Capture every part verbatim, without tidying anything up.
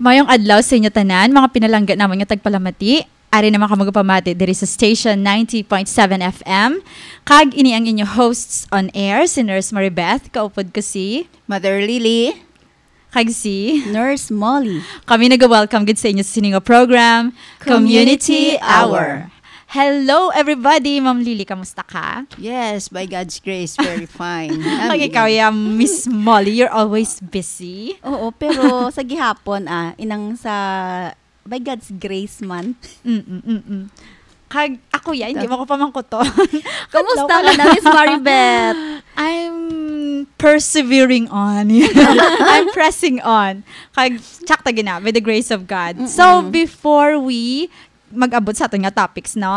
Mayong adlaw sa inyo tanan, mga pinalangga namon nga tagpalamati. Ari naman kamo gapamati diri sa station ninety point seven F M. Kag ini ang inyo hosts on air, si Nurse Maribeth, kaupod ko si Mother Lily. Kag si Nurse Molly. Kami naga-welcome gid sa inyo sa sini nga program, Community Community Hour. Hour. Hello, everybody! Ma'am Lily, kamusta ka? Yes, by God's grace, very fine. Kag ikaw, ya, Miss Molly, you're always busy. Oo, pero sa gihapon, ah, inang sa by God's grace man. Mm-mm, mm-mm. Kag ako, ya, hindi Ta- mo ko pamangkuton. Kamusta Hello, ka na, Miss Maribeth? I'm persevering on. I'm pressing on. Kag, tsak ta gina, by the grace of God. So, Mm-mm. before we mag-abot sa aton nga topics, no?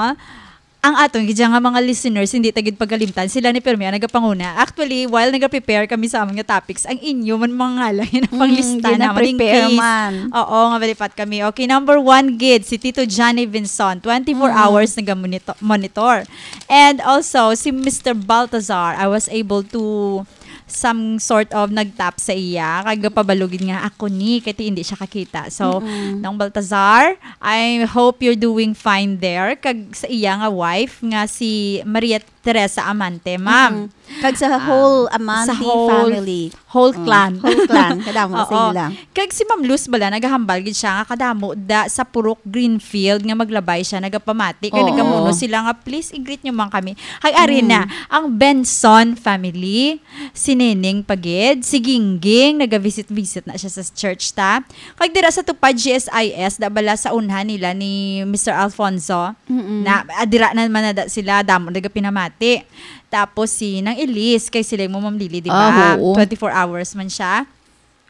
Ang aton gid nga mga listeners, hindi ta gid pagalimtan, sila ni Permi ang nagapanguna. Actually, while nagaprepare kami sa amon nga topics, ang inyo man mga ngalan ang Mm, panglista namon in gina-prepare case. Man. Oo, nga malipat kami. Okay, number one gid, si Tito Johnny Vinson, twenty-four Mm. hours naga-monito-, monitor. And also, si Mister Baltazar, I was able to some sort of nagtap sa iya, kag gapabalo gid nga, "Ako ni," kay ti hindi siya kakita. So, Mm-mm. Nong Baltazar, I hope you're doing fine there. Kag sa iya nga wife nga si Maria Teresa Amante, ma'am. Mm-mm. Kag sa Ah, whole sa Amante whole, family. whole Mm. clan. Whole clan. Kadamo sa Oo. ila. Kag si Ma'am Luz bala, nagahambal gid siya nga kadamo da sa Purok Greenfield nga maglabay siya, nagapamati. Kag Oo. nagamuno sila nga, "Please, i-greet nyo man kami." Kag ari Mm. na, ang Benson family, si Neneng pa gid, si Gingging, nagavisit-visit na siya sa church ta. Kag dira sa Tupad G S I S, da bala sa unhan nila ni Mister Alfonso, Mm-mm. na, ah, dira na man na da sila, damo nagapinamati. Tapos si Nang Elise, kay sila mo, Ma'am Lily, di Ah, ba? oo. Twenty-four hours man siya.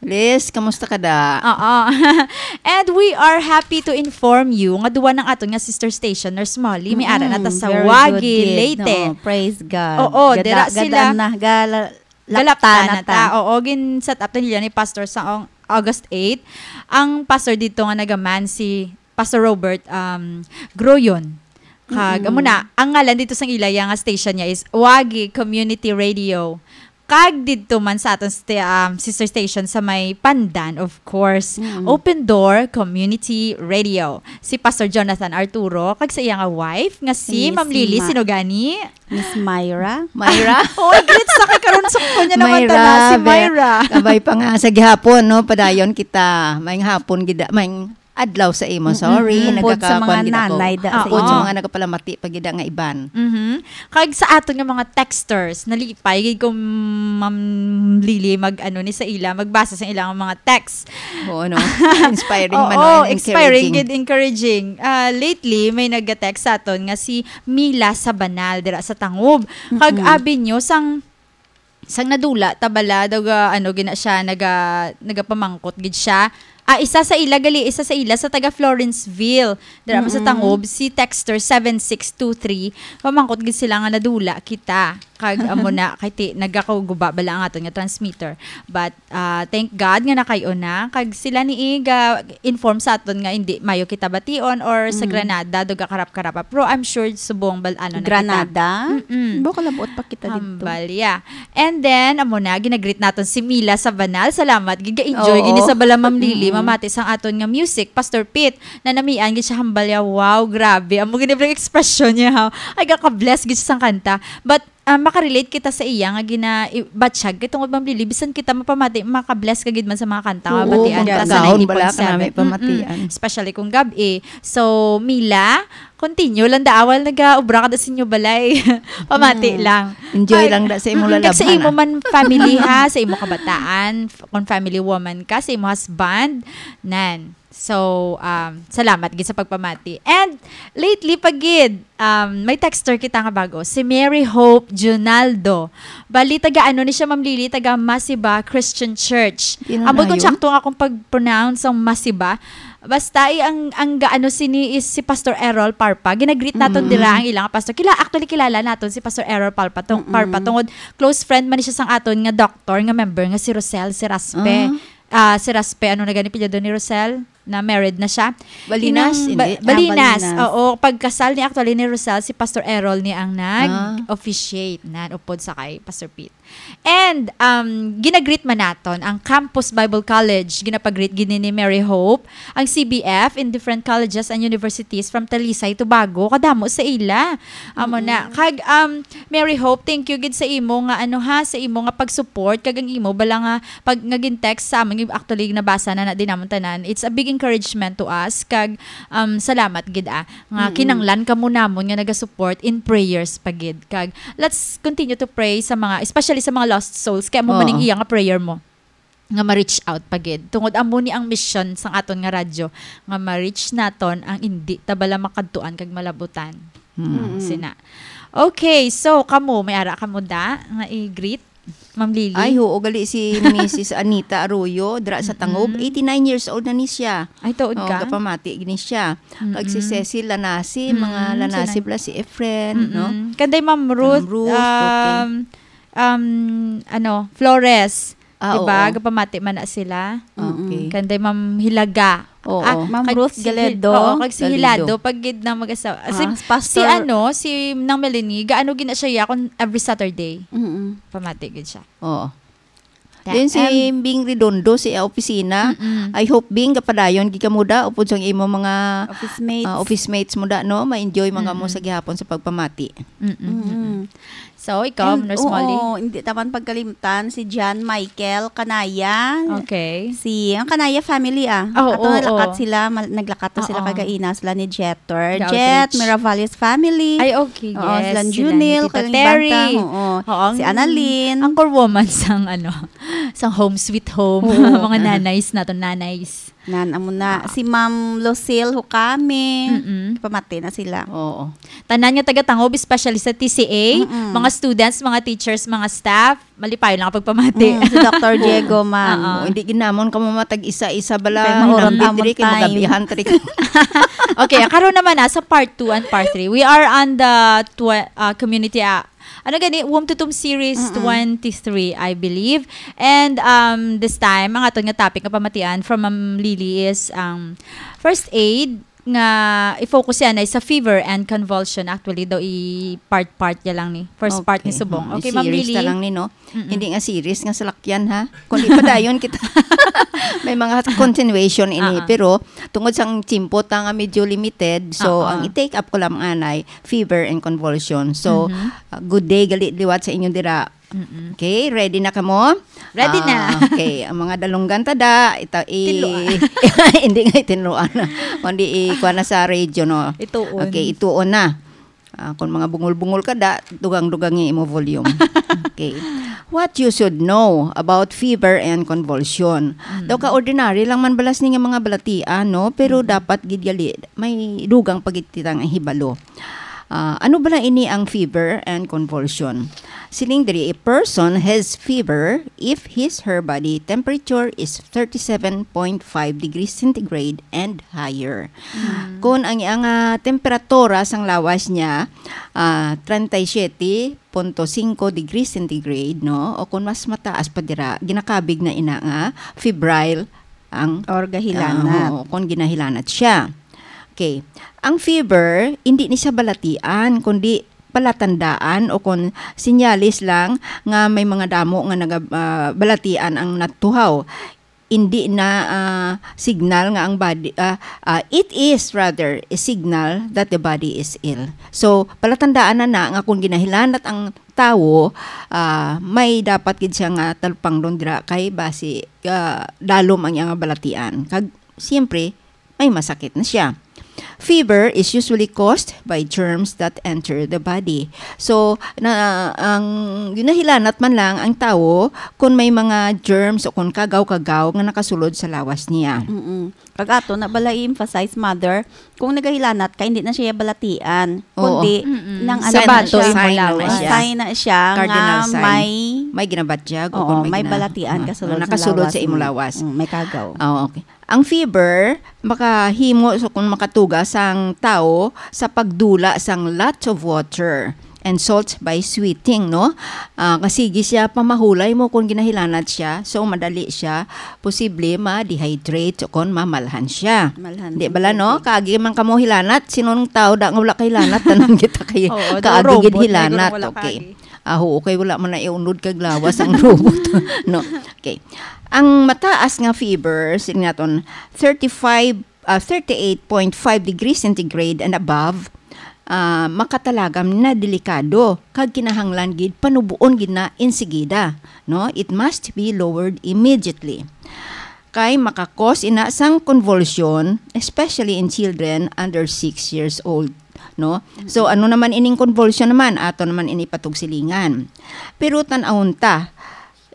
Liz, kamusta ka da? Oo. And we are happy to inform you nga duwa ng aton nga sister station, Nurse Molly, may ara na ta Mm-mm. sa Very Wagi, good, kid. Leyte. Oo, praise God. Oo, Gada-, dira sila gadaan na, gala-, Galapta lapta na na ta. ta. Oo, gin-set up na nila ni Pastor sa ong-, August eight. Ang pastor dito nga nagaman si Pastor Robert, um, Groyon. Kag, Mm-mm. amo na, ang ngalan dito sang ila, iya nga station niya is Wagi Community Radio. Kag didto man sa aton sta-, um, sister station sa may Pandan, of course, Mm. Open Door Community Radio. Si Pastor Jonathan Arturo, kag sa iya nga wife, nga si Si Miss Ma'am Lily Ma-, Sinugani. Miss Myra. Myra? Oy, greet sa kay karon sa kunya naman Myra, ta na, si be-, Myra. Kabay pa nga sa gihapon, no? Padayon kita. Maayong hapon gid, maayong adlaw sa imo. Mm-mm. Sorry, Upod sa nagkakakuan mga gid ako. nanay da sa Upod sa Oo. mga nagapalamati pa gid nga iban. Mhm. Kag sa aton nga mga texters, nalipay gid ko, Ma'am Lily, mag, ano, ni sa ila, magbasa sa ilang mga text. Oo, no? Inspiring man, Oo, no? And inspiring encouraging. gid, encouraging. Ah, lately, may nag-text sa aton nga si Mila Sabanal dira sa Tangob. Kag Mm-mm. abi nyo, sang, sang nadula ta bala, daw ga, ano, gina siya, naga-, nagapamangkot gid siya. Ah, isa sa ila, gali, isa sa ila sa taga Florenceville. Dira man sa Mm-mm. Tangob, si texter seven six two three. Pamangkot gid sila nga nadula kita. Kag amo na, kay ti, nagakaguba bala ang aton nga transmitter. But, ah, thank God nga nakay-o na. Kag sila ni Iga, inform sa aton nga hindi mayo kita bation or sa Mm. Granada, daw gakarap-karapa. Pero I'm sure subong bal-, ano na kita. Granada? Mm-mm. Bo, kalabuot pa kita dito. Hambal, yeah. And then, amo na, ginagreet naton si Mila Sabanal. Salamat. Giga-enjoy Oo. gini sa bala, Ma'am Lily, Mm-mm. mamati sang aton nga music. Pastor Pete, nanamian gid siya hambal ya. Wow, grabe. Amo gini ang expression niya, ha. Ay, gaka-bless gid siya sang kanta. But, ah, makarelate kita sa iya nga gina-, i-, batsyag. Kay tungod, Ma'am Lily, bisan kita mapamati, maka-bless ka gid man sa mga kanta nga Oo, batian ta sa magkagahon bala ka ninety point seven. nami pamatian. Mm-mm. Especially kung gab-i. So, Mila, continue lang da, awal nagaobra ka da sa inyo balay. Pamati Mm. lang. Enjoy Kag, lang da sa imo mm, kag sa lalabhan, imo ah. man family, ha, sa imo kabataan, f-, kung family woman ka, sa imo husband, nan. So, um, salamat gid sa pagpamati. And lately pa gid, um, may texter kita nga bago, si Mary Hope Junaldo. Bali, taga ano ni siya, Ma'am Lily? Taga Masiba Christian Church. Di na Ambot kung nayon. Tsakto nga akong pag-pronounce ang Masiba. Basta, eh, ang, ang gaano sini is si Pastor Errol Parpa. Ginagreet naton Mm-mm. dira ang ilang pastor. Kila-, actually, kilala naton si Pastor Errol Parpa, tong-, Mm-mm. Parpa tungod close friend man ni siya sang aton nga doctor nga member nga si Rosel, si Raspe. Ah. Ah, si Raspe, ano na gani apelyido ni Rosel? na married na siya. Balinas, Inang hindi? Ba-, Ah, Balinas. Balinas. Oo, pagkasal ni, actually, ni Rosel, si Pastor Errol ni ang Ah. nag-officiate na upod sa kay Pastor Pete. And, um, ginagreet man naton ang Campus Bible College. Ginapagreet gini ni Mary Hope ang C B F in different colleges and universities from Talisay, Tobago. Kadamo sa ila. Amo na. Mm-mm. Kag, um, Mary Hope, thank you gid sa imo nga, ano ha, sa imo nga pag-support, kag ang imo bala nga pag, nga gin-text sa amon, actually, nabasa na na din namon tanan. It's a big encouragement to us, kag, um, salamat gid, ah, nga Mm-mm. kinanglan kamo namon nga naga-support in prayers pa gid. Kag let's continue to pray sa mga, especially sa mga lost souls. Kay amo man Oo. ning iya nga prayer mo nga ma-reach out pa gid. Tungod amo ni ang mission sang aton nga radyo, nga ma-reach naton ang indi ta bala makadtuan kag malabutan. Hmm. Mm. Sina. Okay, so kamo, may ara kamo da nga i-greet, Ma'am Lily? Ay, oo, gali si Missus Anita Arroyo, dira sa Tangob. Mm-mm. Eighty-nine years old na ni siya. Ay, tuod Oh, ka? Gapamati gini siya. Kag si Mm-mm. Cecil Lanasi, mga Mm, Lanasi sila. Bala si Efren, Mm-mm. no? Kanday Ma'am Ruth, Ma'am Ruth, okay. um, um, ano, Flores. Ah, Diba? Oo. Gapamati man na sila. Okay. Mm-mm. Kanday Ma'am Hilaga. Oo. Ah, Ma'am kag Ruth si Hil-, Galedo. Oo, kag si Galedo. Hilado, pag gid na mag-asawa. Ah, Si, si Pastor ano, si Nang Melanie, gaano gina siya ya kung every Saturday? Mm-mm. Pamati gid siya. Oo. Ta-, Then si em, Bing Redondo, si opisina. Mm-mm. I hope, Bing, gapadayon gid ka muda, upod sang imo mga, Office mates. ah, office mates muda, no? Ma-enjoy man kamo Mm-mm. sa gihapon sa pagpamati. Mm-mm. Mm-mm. So, ikaw, And, Nurse Molly? Oo, hindi taman pagkalimtan si John Michael Kanaya. Okay. Si, ang Kanaya family, ah. Oh, Ato oo, nalakat oo. sila, mal-, naglakat to sila Oo. kagaina, sila ni Jeter. Ga-outreach. Jet, Miravalles family. Ay, okay, Oo, yes, sila sila ni Junil, Tita Kaling Terry. Bantang, oo. Oo, ang, Si Annalyn. ang core woman sang, ano, sang Home Sweet Home. Oo. Mga nanays nato, nanays. Nan, amo na. Ah. Si Ma'am Lucille Hukami. Mm-mm. Pamati na sila. Oo. Tanan nga taga-Tangob, especially sa T C A, Mm-mm. mga students, mga teachers, mga staff, malipayon lang ang pagpamati. Mm, si Doctor Diego man. Oo. Oh, hindi ginamon ka mamatag isa-isa bala. Kay mauron Hinambit amon diri, kay time. Magabihan, tri. Okay, karon naman na sa part two and part three. We are on the tw-, uh, community, uh, ano gani, Womb to Tomb Series Mm-mm. twenty-three, I believe. And, um, this time, ang aton nga topic nga pamatian from Ma'am Lily is, um, first aid nga i-focus yan ay sa fever and convulsion. Actually, daw i-part-part niya lang ni. First part ni Okay. Subong. Mm, Okay, Ma'am i-series Lily. na lang ni, no? Mm-mm. Hindi nga series nga salakyan, ha? Kundi padayon kita. May mga continuation ini. Ah, ah. Pero, tungod sang tiyempo ta nga medyo limited, so, Ah, ah. ang i-take up ko lang anay, fever and convulsion. So, Mhm. uh, good day, gali liwat sa inyo dira. Mm-mm. Okay, ready na kamo? Ready na. Ah, okay, ang mga dalunggan ta da, ita-, i-, Tinuan. Hindi nga itinuan na. Kundi i-, kuha na sa radio, no? Ituon. Okay, ituon na. Ah, kung mga bungol-bungol ka da, dugang-dugang yung imo volume. Okay. What you should know about fever and convulsion. Mm. Daw ka ordinary lang man balas ni nga mga balatian, no? Pero Mm. dapat gid gali, may dugang pagititang ang hibalo. Ah, ano bala ini ang fever and convulsion? Siling diri, a person has fever if his, her body temperature is thirty-seven point five degrees centigrade and higher. Mm. Kung ang, ang, ah, temperatura sang lawas niya, ah, treinta y siete punto cinco degrees centigrade, no? O kung mas mataas pa dira, ginakabig na ina nga febrile ang, Or gahilanat. ah, oo, kung ginahilanat siya. Okay. Ang fever, hindi ni siya balatian, kundi palatandaan o kung sinyalis lang nga may mga damo nga naga-, ah, balatian ang natuhaw. Hindi na, ah, signal nga ang body, ah, ah, it is rather a signal that the body is ill. So, palatandaan na na nga kung ginahilanat ang tawo, ah, may dapat gid siya nga talupangdon dira kay basi, ah, dalom ang iyang balatian. Kag, siyempre, may masakit na siya. Fever is usually caused by germs that enter the body. So, na, ang ginahilanat man lang ang tawo kung may mga germs o kung kagaw-kagaw nga nakasulod sa lawas niya. Mm-mm. Kag ato na bala i-emphasize, mother, kung nagahilanat ka, hindi na siya balatian, Oo. kundi Mm-mm. nang ano Sign na na siya. Sign na Sign na siya. Sign na siya Cardinal nga sign. may May ginabatyag o Oo, kung may may gina-, balatian ah, kasulod sa nakasulod lawas sa imong mo. lawas. Mm, may kagaw. Ah, okay. Ang fever makahimo sa kung makatuga sang tawo sa pagdula sang lot of water. and salt by sweating, no? Ah, kasi gi siya pamahulay mo kung ginahilanat siya, so madali siya posible ma-dehydrate o kon mamalhan siya. Malhan Di ang bala, no? Tubig. Kaagi man kamo hilanat, sinong tao da nga wala kahilanat, tanan kita kay Oo, daw kaagi gid robot na hilanat. Wala okay. Kaagi. Ah, oo, kay wala man na iunod kag lawas ang robot. No? Okay. Ang mataas nga fever, sige naton, thirty-five, ah, thirty-eight point five degrees centigrade and above, ah, makatalagam na delikado kag kinahanglan gid panubuon gid na insigida, no? It must be lowered immediately. Kay makakos ina sang convulsion, especially in children under six years old, no? So, ano naman ining convulsion naman? Ato naman ini patugsilingan. Pero tan-awon ta,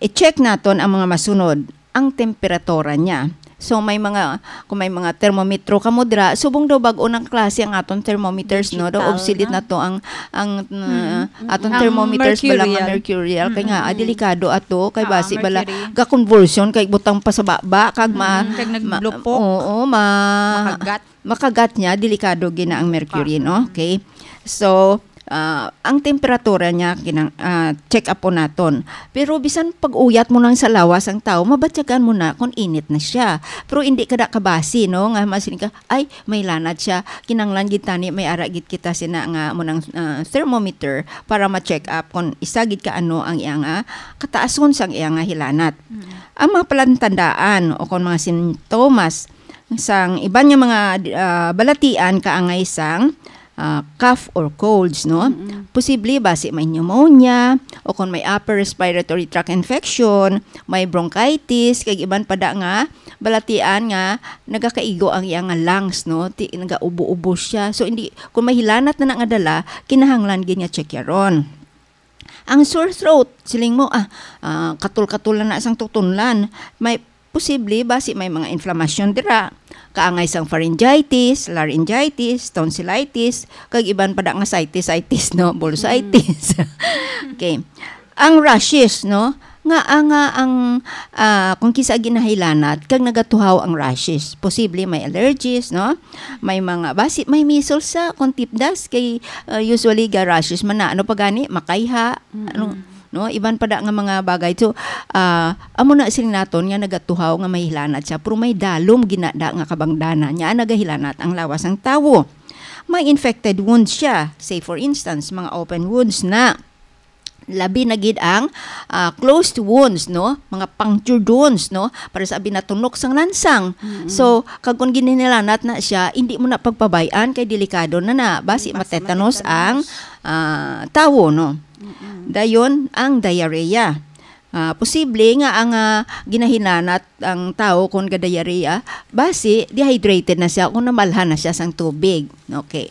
i-check naton ang mga masunod, ang temperatura niya. So, may mga, kung may mga termometro kamo dira, subong daw bag-o nang klase ang aton thermometers, no? Daw Digital obsolete na. Na to ang, ang, uh, Mm. aton Ang thermometers bala nga mercurial. Mercurial. Kay nga, ah, Mm-mm. delikado ato, kay Ah, basi bala mercury. Ga-convulsion, kay butang pa sa baba, kag ma-, Mm, kag ma-, naglupok. Oo, ma-, Makagat. Makagat niya, delikado gina ang mercury, Pa. No? Okay. So, ah, ang temperatura niya, kinang-, ah, check up po naton. Pero bisan pag-uyat mo nang sa lawas ang tao, mabatyagan mo na kung init na siya. Pero hindi ka da kabasi, no? Nga masiling ka, "Ay, may lanat siya." Kinanglan gid tani, may ara gid kita sina nga mo nang, ah, thermometer para ma-check up kung isa gid ka ano ang iyang, ah, kataason sang iyang, ah, hilanat. Mm. Ang mga palantandaan o kung mga sintomas sang iban nga mga, ah, balatian kaangay sang, ah, cough or colds, no? Mm-mm. Posible basi may pneumonia o kung may upper respiratory tract infection, may bronchitis, kag iban pa da nga balatian nga nagakaigo ang iya nga lungs, no? Ti-, nagaubo-ubo siya. So, hindi, kung may hilanat na na nga dala, kinahanglan gid nga check yaron. Ang sore throat, siling mo, ah, ah, katol-katol na na sang tutunlan. May posible basi may mga inflammation dira. Kaangay sang pharyngitis, laryngitis, tonsillitis, kag iban pa da nga sitis-itis, no? Bursitis. Mm. Okay. Ang rashes, no? Nga, ah, nga ang, ah, kung kisa ginahilanat, kag nagatuhaw ang rashes. Posible may allergies, no? May mga, basi, may measles sa, kung tipdas, kay, ah, usually ga rashes man na, ano pa gani, makayha, Mm-mm. ano, no? Iban pa da nga mga bagay. So, ah, amo na sila naton nga nagatuhaw nga may hilanat siya, pero may dalom ginada nga kabangdanan niya, nagahilanat ang lawas sang tawo. May infected wounds siya. Say, for instance, mga open wounds na. Labi na gid ang, ah, closed wounds, no? Mga punctured wounds, no? Para sa binatunok sang lansang. Mm-mm. So, kag kung ginihilanat na siya, hindi mo na pagpabay-an kay delikado na na. Basi Basi matetanos matetanus. Ang, ah, tawo, no? Mm-mm. Dayon, ang diarrhea. Ah, posible nga ang, ah, ginahilanat ang tawo kung ga-diarrhea, basi dehydrated na siya kung namalhan na siya sang tubig. Okay.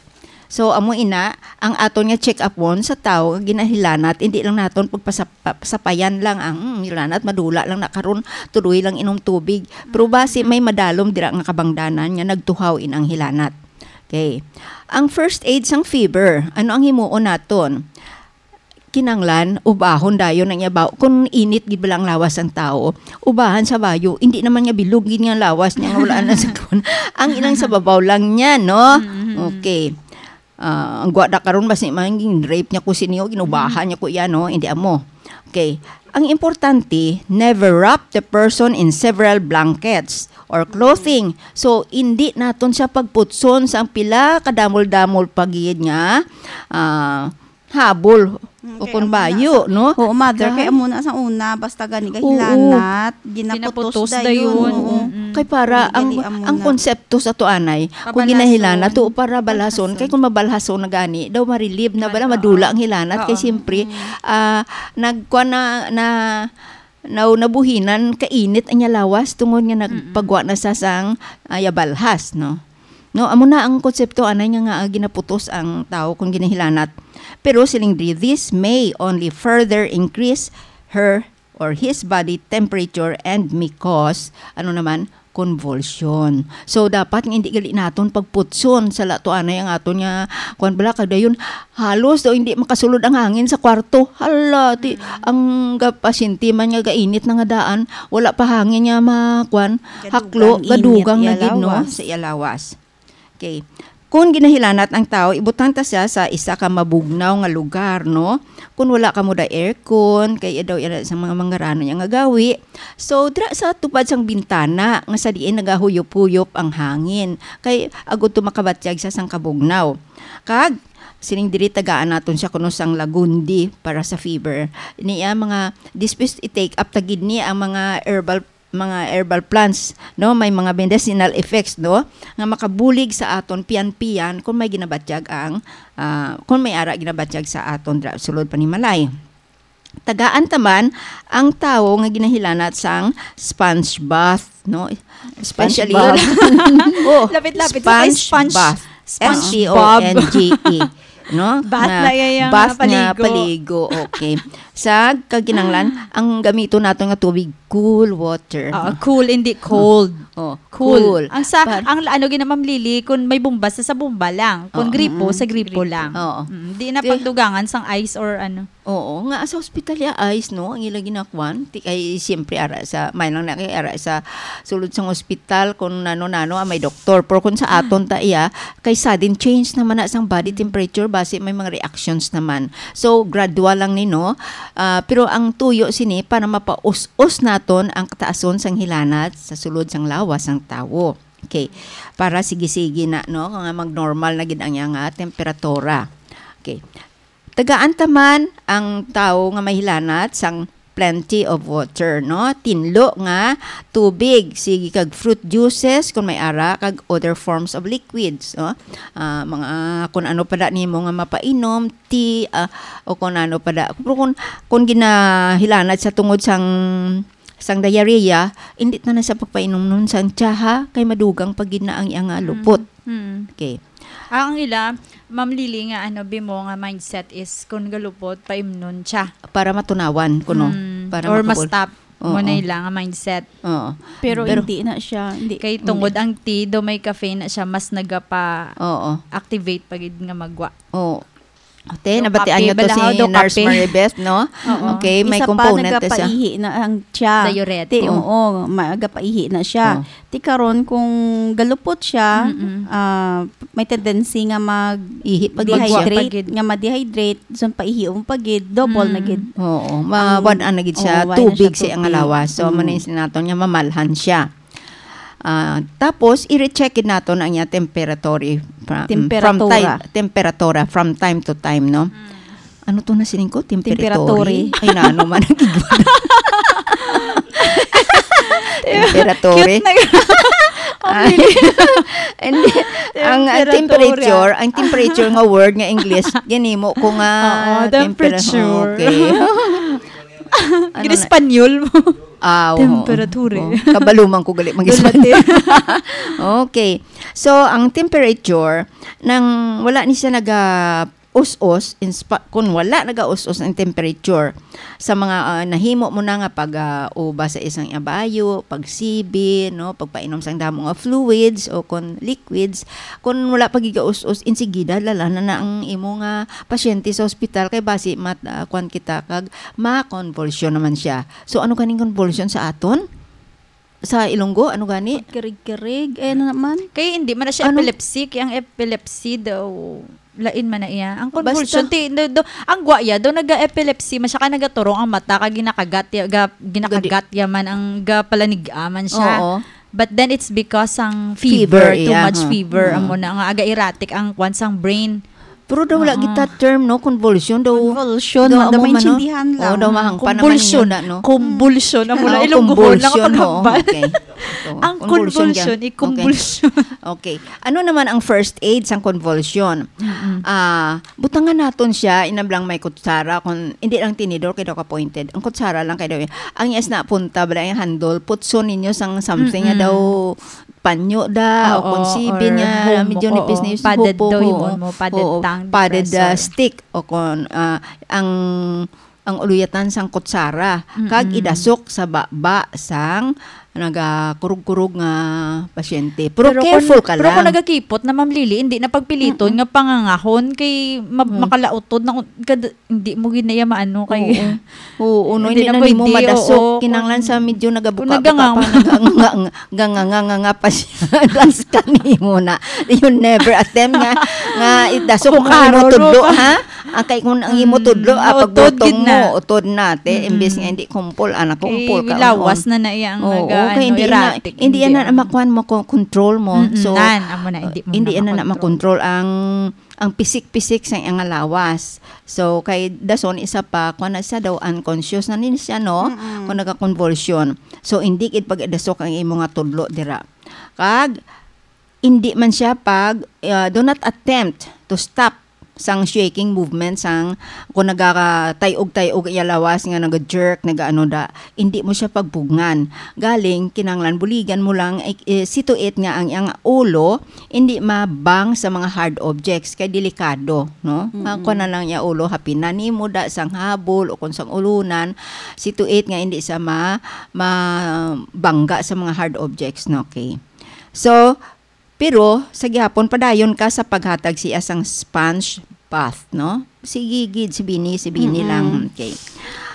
So, amo ina, ang aton nga check-up on sa tawo nga ginahilanat, hindi lang naton pagpasap-, pa-, sapayan lang ang, "Hmm, hilanat, madula lang na karon, tuloy lang inom tubig." Pero basi may madalom dira nga kabangdanan nga nagtuhaw in ang hilanat. Okay. Ang first aid sang fever, ano ang himuon naton? Kinanglan, ubahon dayon ang iya baw-, kung init gid bala ang lawas sang tawo, ubahan sa bayo, hindi naman nga bilog gid nga lawas niya nga wala na sa kuwan. Ang ilang sa babaw lang niya, no? Mm-hmm. Okay. Ah, ang gwada karon, basi man gin-rape niya ko sini, o ginubahan niya ko iya, no? Hindi amo. Okay. Ang importante, never wrap the person in several blankets or clothing. So, hindi naton siya pagputson sa ang pila kadamol-damol pa gid nga, ah, habol Mm, o kay kung amo na bayo, sa, no? Oo, mother, kay Dahil amo na sa una, basta gani Oo. Kahilanat, ginaputos Ginaputos dayon. Dayon. Oo. Mm-mm. Kay para Hindi ang, gali amo ang na. Konsepto sa to anay, kung Pabalason. Ginahilanat, to para balason, Balhason. Kay kung mabalhason na gani, daw marilib na bala, Mal-, madula oo. Ang hilanat, kay Oo. Siyempre, Mm. ah, nagkuha na, na, na, nabuhinan, kainit ang iya lawas, tungod nga Mm-mm. Nagpagwa na sa sang, ah, yabalhas, no? No, amo na ang konsepto anay nga, nga ginaputos ang tawo kung ginahilanat. Pero siling diri, this may only further increase her or his body temperature and may cause, ano naman, convulsion. So, dapat nga hindi gali naton pagputson sa lato anay ang aton nga, kuwan bala, kag dayon, halos daw hindi makasulod ang hangin sa kwarto. Hala, ti, Mm. Ang ga-, pasyente man nga gainit na nga daan, wala pa hangin nga ma-, kuwan, Gadugang haklo, init gadugang na iya gid, no, lawas. Sa iya lawas. Okay. Kung ginahilanat ang tawo, ibutang ta siya sa isa ka mabugnaw nga lugar, no? Kung wala kamo da aircon, kay daw ina sa mga mangarano niya nga gawi. So, dira sa tupad sang bintana, nga sa diin nagahuyop-huyop ang hangin, kay agud to makabatyag sa sang kabugnaw. Kag, sining diri tagaan naton siya kuno sang lagundi para sa fever. Niya mga, this is i-take up ta gid ni ang mga herbal, mga herbal plants, no? May mga medicinal effects, no? Nga makabulig sa aton piyan-piyan kung may ginabatyag ang, ah, kung may ara ginabatyag sa aton dra-, sulod panimalay. Tagaan ta man ang tawo nga ginahilanat sang sponge bath, no? Especially, Bath. Oh, Lapit-lapit sa kay sponge sponge. Bath. Sponge S P O N G E. No? Bath Nga na iya, iya nga bath nga paligo. Paligo. Okay. Sa kaginanglan, ang gamito nato nga tubig, cool water. Ah, cool, hindi cold. Oh, Cool. cool. Ang sa, Par- ang ano gina, Ma'am Lily, kung may bomba, sa, sa bomba lang. Kung Oo. gripo, Mm, sa gripo gripo. lang. Oo. Mm, di na Kaya- pagdugangan sang ice or ano. Oo, nga sa ospital ya ice, no? Ang ila ginakuan, ti kay siyempre ara sa, may lang na kay ara sa sulod sang ospital kung nano-nano ang may doktor. Pero kung sa aton ta iya, kay sudden change naman na sang body temperature, basi may mga reactions naman. So, gradual lang ni, no? Ah, pero ang tuyo sini para mapaus-os naton ang kataason sang hilanat sa sulod sang lawas sang tawo. Okay. Para sige-sige na, no? Nga mag-normal na gid ang iya nga temperatura. Okay. Tagaan ta man ang tawo nga mahilanat sang plenty of water, no? Tinlo nga tubig, sige kag fruit juices kung may ara, kag other forms of liquids, no? Ah, mga kung ano pa da nimo nga mapainom, tea, ah, o kung ano pa da. Pero kung, kung ginahilanat sa tungod sang sang diarrhea, hindi ta na sa pagpainom nun sang tsaha, kay madugang pa gid na ang iyang, ah, lupot. Mm. Okay. Ang ila, Ma'am Lily, nga ano, bimo nga mindset is kung galupot, paimnon siya. Para matunawan kuno. Mm. Para Or makabul- ma-stop mo Oo. na ila nga mindset. Oo. Pero, Pero- hindi na siya. Hindi, Kay tungod hindi. Ang tea, do may caffeine na siya, mas nagapa-activate Oo. pa gid nga magwa. Oo. Ate, nabatian kape, niyo to si balahaw, do Nurse kape. Maribeth, no? Oo. Okay, may Isa pa, component na siya. nagapaihi na ang siya. Diuretic. Ti, oo, magapaihi na siya. Oh. Ti karon kung galupot siya, Mm-mm. ah, may tendency nga mag Ihi pa gid siya. Magwa pa dehydrate, gid. nga ma-dehydrate, so paihi pa gid, double na Mm. gid. Oo, Ang- mawad-an na gid siya, Oo, wala na tubig siya sa iyang tubig. lawas. So, Mm. manis naton nga mamalhan siya. Ah, tapos, i-recheck gid naton ang iya temperature fra-, mm, from Temperatura. time, temperatura from time to time, no? Ano to na sining ko? Temperature? Temperature. Ay, na, ano man ang gigwa. Temperature. Cute na. Ay, hindi. Ang, ang Temperatura. temperature, ang temperature nga word nga English, ginimo ko nga Oo, tempera-, temperature. Okay. Ano na? Gin-Espanyol mo. Ah, oo. Temperature. Oo. Kabaluman ko gali mag Dulate. Okay. So, ang temperature, nang wala ni siya naga-us-us, in spa-, kung wala naga-us-us ang temperature, sa mga, ah, nahimo mo na nga pag, ah, uba sa isang abayo, pagsibi, no, pagpainom sang damo nga fluids o kon liquids, kung wala pa giga-us-us, insigida dala na, na ang imo nga pasyente sa ospital kay basi mat-, ah, kuwan kita kag ma-convulsion naman siya. So, ano kaning convulsion sa aton? Sa Ilonggo, ano gani? Kirig-kirig, eh, ano naman? Kay hindi man na siya Ano? Epilepsy, kay ang epilepsy daw lain man na iya. Ang convulsion, Basta- ti, do, do, ang gwaya daw naga-epilepsy man siya, kay nagaturong ang mata, kag ginakagat ya, ga, ginakagat ya man ang gapalanig-a man siya. Oo. But then it's because ang Fever, fever, too iya, much huh. fever, Mm. amo na nga aga erratic ang kwan sang brain. Pero daw wala Oo. kita term, no? Convulsion daw. Convulsion, Daw man, daw amo man, no? maintindihan lang. Oo, daw mahangpan naman Convulsion. ninyo na, no? Convulsion. Amo na, Ah, Ilonggo na nga convulsion, oo, pagpangpal. okay. Ito, Ang convulsion convulsion, yan. i-convulsion. Okay. Okay. Ano naman ang first aid sang convulsion? Ah, butangan naton siya, inablang may kutsara, kung hindi lang tinidor kay daw ka-pointed. Ang kutsara lang kay daw. Ang yes na punta, bala yung handle, putson ninyo sang something nga Mm-mm. daw panyo da, o Oo, kung sibin or niya, home, medyo oo, nipis na yung padded sinupo daw ko, yung oo. mo, padded Oo, tongue padded, ah, depressor. Stick, o kung, ah, ang, ang uluyatan sang kutsara, kag Mm-mm. idasok sa baba sang nagakurog-kurog nga pasyente. Pero Pero careful kung, ka pero kung lang. nagakipot na, Ma'am Lily, hindi na pagpiliton Mm-mm. nga pangangahon kay ma-, Mm. makalautod na un-, kad-, hindi mo gid na iya maano kay Oo. Oo, no, Hindi hindi na na nimo pwede, madasok. oo, Kinahanglan kung, sa medyo kung nagabuka-buka naganganga. pa, naganganga-, ganganga-nganga pa siya. Das kanimo na. You never attempt nga, nga idasok mo Bukaro, imo tudlo, no? ha? Ang kay kung ang imo Mm, tudlo, ah, utod pagbutong gid na. mo, utod na, te. Mm-mm. Imbis nga hindi kumpol, anak, Kay kumpol ka, lawas on. na na iya ang Oo, naga-, kay ano, hindi na, erratic, hindi hindi, na ah. makuan mo, ko-, control mo. Mm-mm, So, nan, amo na, hindi mo hindi na na na makontrol. makontrol ang, ang pisik-pisik sa iyang lawas. So, kay dason, isa pa, kung na siya daw unconscious na ni siya, no? Mm-mm. Kung nagakonvulsion. So, hindi gid pag-idasok ang imo nga tudlo dira. Kag, hindi man siya pag, ah, do not attempt to stop sang shaking movement sang kung nagakatayog-tayog iya lawas nga naga-jerk, nagaano da, hindi mo siya pagpugngan. Galing, kinahanglan buligan mo lang, eh, eh, situate nga ang iyang ulo hindi mabang sa mga hard objects kay delikado, no? Mm-mm. Ang kuwan na lang iya ulo, hapinan nimo da sang habol o kung sang ulunan, situate nga hindi siya ma-, mabangga sa mga hard objects, no? Okay. So, pero sa gihapon, padayon ka sa paghatag siya sang sponge bath, no? Sige gid, si Bini, si Bini Mm-mm. lang. Okay.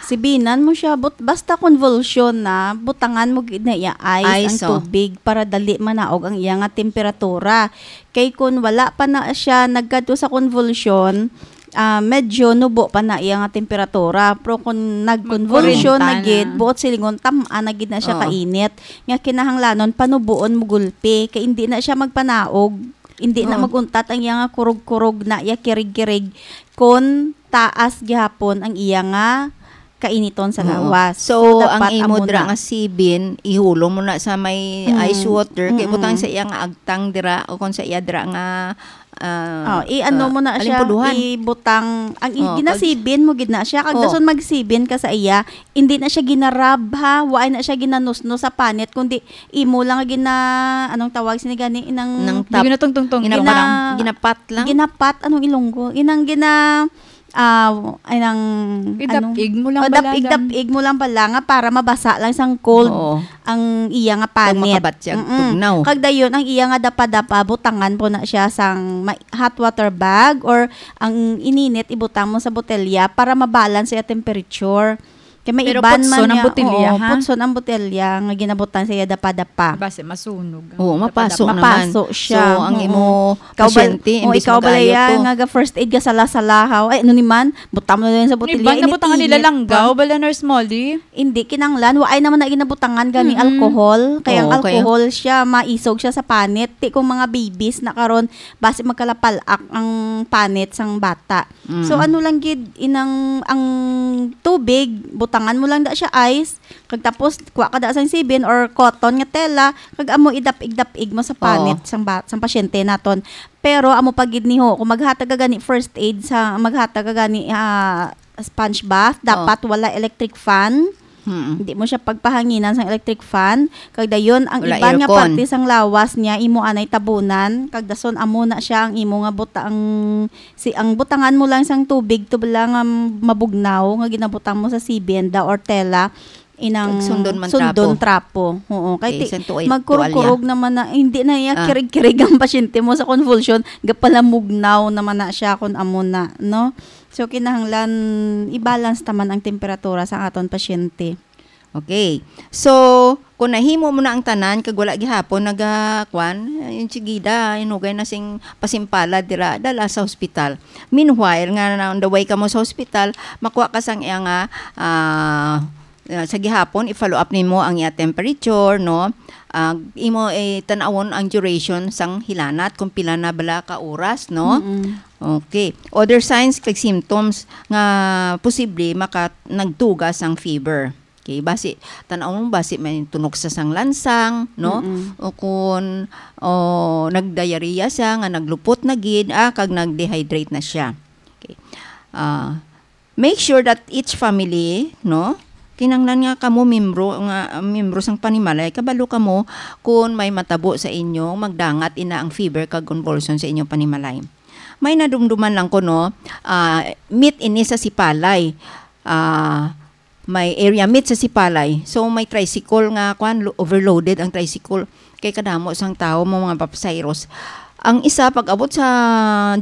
Sibinan mo siya, but basta convulsion na, butangan mo gid na iya ice Ice, ang oh. tubig para dali manaog ang iya nga temperatura. Kay kun wala pa na siya nagkadto sa convulsion, ah, medyo nubo pa na iya nga temperatura. Pero kun nag-convulsion na Magkuwarenta gid, na. buot silingon, tam-an na gid na siya Oo. kainit. Nga kinahanglanon, panubuon mo gulpi. Kay hindi na siya magpanaog. Hindi na Oo. maguntat ang iya nga kurog-kurog na iya kirig-kirig kun taas gihapon ang iya nga kainiton sa Oo. lawas. So, So, ang dapat imo amo dira na. nga sibin, ihulom mo na sa may Mm. ice water, kay Mm-mm. butang sa iya nga agtang dira, o kung sa iya dira nga, ah, Oh, i-ano ah, mo na siya, alimpuduhan. ibutang, ang i-, Oh, pag ginasibin mo gid na siya. Kag Oh. dason magsibin ka sa iya, hindi na siya ginarab, ha? Wa na siya ginanusnos sa panit, kundi imo lang nga gina-, anong tawag sini gani? Inang Nang Di tap. ginatungtong-tungtong. Gina-, Gina-, ginapat lang. ginapat, anong Ilonggo? Inang gina-, ah, ay, nang, Idap-ig anong, mo lang oh, bala, dap-ig, dam. dap-ig mo lang bala nga para mabasa lang sang cold Oo. ang iya nga Pag panit. makabat siya, Mm-mm. tugnaw. Kag dayon, ang iya nga dapa-dapa, butangan po na siya sang ma-, hot water bag or ang ininit, ibutang mo sa botelya para mabalance siya temperature. Kay may Pero iban man putson ang niya, botelya, oo, ha? putson ang botelya nga ginabutang sa iya dapa-dapa. Base masunog ang Oo, dapa-dapa. mapaso naman. Mapaso siya. So, ang Oo. imo Ikaw ba, pasyente, o, imbis ikaw ba mag-ayo ya to. nga ga first aid ka sala-salahaw? Ay, ano ni man? Butang mo na lang sa Ni botelya, Iban, nabutangan nila init-init langgaw, pa. bala, Nurse Molly? Hindi, kinanglan. Wa ay naman na ginabutangan gani Mm-mm. alcohol. Kaya ang Oo, kaya alcohol siya, maisog siya sa panit. Ti kung mga babies na karon, basi magkalapalak ang panit sang bata. So, Mm. ano lang gid, inang, ang tubig, butangan mo lang da siya ice, kag tapos, kuha ka da sang sibin or cotton nga tela, kag amo idap-ig-dap-ig mo sa panit Oo. sang ba-, sang pasyente naton. Pero amo pa gid ni ho, kung maghatag ka gani first aid sa, maghatag ka gani, ah, sponge bath, Oo. dapat wala electric fan. Mm. Hindi mo siya pagpahanginan sang electric fan. Kag dayon, ang Wala iban nga aircon. parte sang lawas niya, imo anay tabunan. Kag dason, amo na siya ang imo nga butang, si, ang butangan mo lang sang tubig, to bala nga mabugnaw, nga ginabutang mo sa sibin da or tela, inang Kag sundon man sundon trapo. trapo. Oo, kay Okay, ti-, isang tuwal-, magkurog-kurog tuwalya. naman na, hindi na iya Ah. kirig-kirig ang pasyente mo sa convulsion, gapalamugnaw naman na siya kung amo na, no? So, kinahanglan i-balance taman ang temperatura sa aton pasyente. Okay. So, kung nahimo mo na ang tanan, kag wala gihapon naga-, kwan, yung tsigida, inugay na sing pasimpalad dira, dala sa hospital. Meanwhile, nga na on the way ka mo sa hospital, makuha ka sang iya nga, ah, ah, sa gihapon, i-follow up nimo ang iya temperature, no? Ah, imo, eh, tan-awon ang duration sang hilanat, kung pila na bala ka oras, no? Mm-mm. Okay. Other signs kag symptoms nga posible maka-, nagtuga sang fever. Okay, basi, tan-aw mo, basi may tunok sa sang lansang, no? Mm-mm. O kun, o, nag-diarrhea siya, nga naglupot na gid, ah, kag nag-dehydrate na siya. Okay. Ah, make sure that each family, no? Kinahanglan nga kamo membro, nga, membro sang panimalay, kabalo kamo kun may matabo sa inyo, magdangat ina ang fever kag convulsion sa inyong panimalay. May nadumduman lang ko, no? Ah, meet ini sa sipalay. Ah, may area meet sa Sipalay. So, may tricycle nga, kwan, lo-, overloaded ang tricycle. Kay kadamo sang tao, mga pasayros. Ang isa, pag-abot sa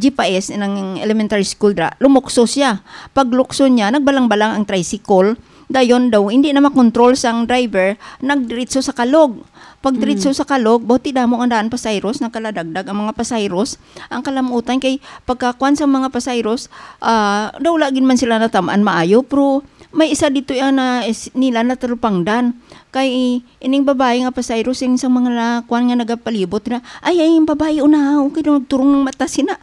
G P S, ng elementary school dra, lumukso siya. Paglukso niya, nagbalang-balang ang tricycle. Dayon daw, hindi na makontrol sang driver, nagdiretso sa Kalog. Pagdiretso Mm. sa Kalog, buti damo nga daan pasayros, nagkaladagdag ang mga pasayros. Ang kalamutan kay pagkakuan sa mga pasayros, ah, daw wala gid man sila natamaan maayo, pero may isa dito yan na is-, nila natalupangdan. Kay ining babae nga pasayro, sing sa mga na, kuan nga nagapalibot na, "Ay, ay, yung babae, una, okay daw, nagturong ng mata, sina."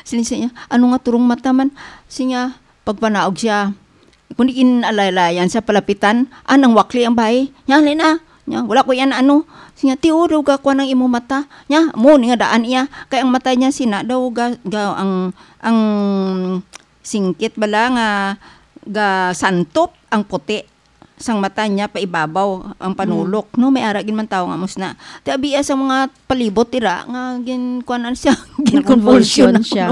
Sini siya, "Ano nga turong mata man?" Siya, pagpanaog siya, kung di kinalalayan sa palapitan, ah, nang wakli ang babae. "Nya, halin na. Nya, wala ko yan, ano." Siya, "Tiyo, daw ga kuan ang imo mata." Nya, mo, ni nga daan iya. Kay ang mata niya, sina, daw ga, ga, ang, ang singkit bala nga ga santop ang puti sang mata niya pa ibabaw ang panulok, Mm. no? May ara gid man tawo nga mus na. Ti abia sa mga palibot ira nga gin-, kuan siya, Na-convulsion gin-convulsion siya.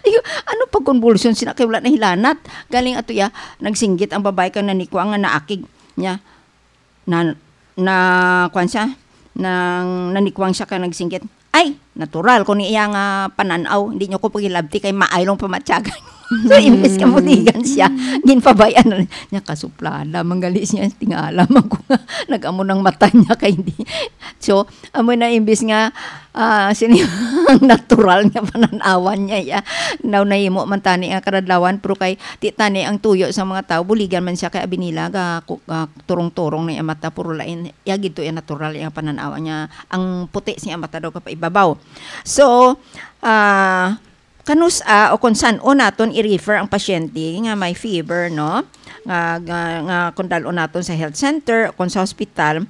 Ay, ano pag convulsion sina kay wala na hilanat? Galing ato ya, nagsinggit ang babae kang nanikwa nga naakig niya. Na, na, kuan siya, nang nanikwang siya kang nagsinggit. Ay, natural ko ni iya nga panan-aw. Hindi niyo ko pagilabti kay maaylong pamatyagan. So, imbes nga muligan siya, ginpabayan na niya, kasuplada, manggali siya, tingala man ko nga, nag-amo ng mata niya kay hindi. So, amo na imbes nga, ah, sini ang natural nga pananawan niya, ya. Now, nahimo man tani ang karadlawan, pero kay, ti tani ang tuyo sa mga tao, buligan man siya kay abi nila, ga, ku-, ga, turong-turong na iya mata, puro lain, ya, gito ya natural, ya pananawan niya, ang puti siya mata daw kapaibabaw. So, ah, kanus-a o kung san-o naton i-refer ang pasyente nga may fever, no? Nga, nga, nga kung dal-on naton sa health center o kung sa hospital,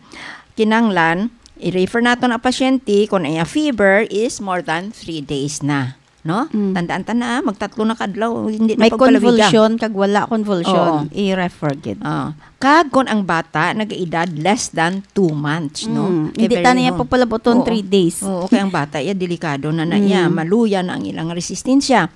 kinanglan, i-refer naton ang pasyente kung ang iya fever is more than three days na, no? Mm. Tandaan ta na, magtatlo na kadlaw, hindi na May pagpalabiga. Convulsion kag wala convulsion, Oo. i-refer gid. Oo. Kag kung ang bata nag-edad less than two months, no? Mm. Kay hindi very ta niya young. Papalabuton Oo. Three days. Oo, kay ang bata, iya, delikado na na iya. Mm. Maluya na ang ilang resistensya.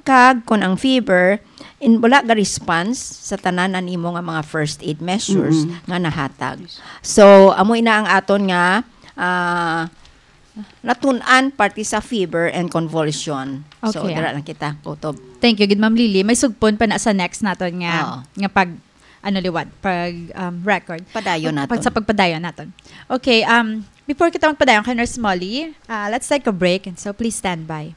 Kag kung ang fever, in, wala ga response sa tanan na nimo nga mga first aid measures Mm-mm. nga nahatag. So, amo ina ang aton nga, ah, natun-an parte sa fever and convulsion. So, Okay, dira ah. lang kita, kutob. Thank you, gid, Ma'am Lily. May sugpon pa na sa next naton nga, Oo. nga pag, ano liwat, pag, um, record. Padayon Pag, naton. Sa pagpadayon naton. Okay, um, before kita magpadayon kay Nurse Molly, uh, let's take a break. And so, please stand by.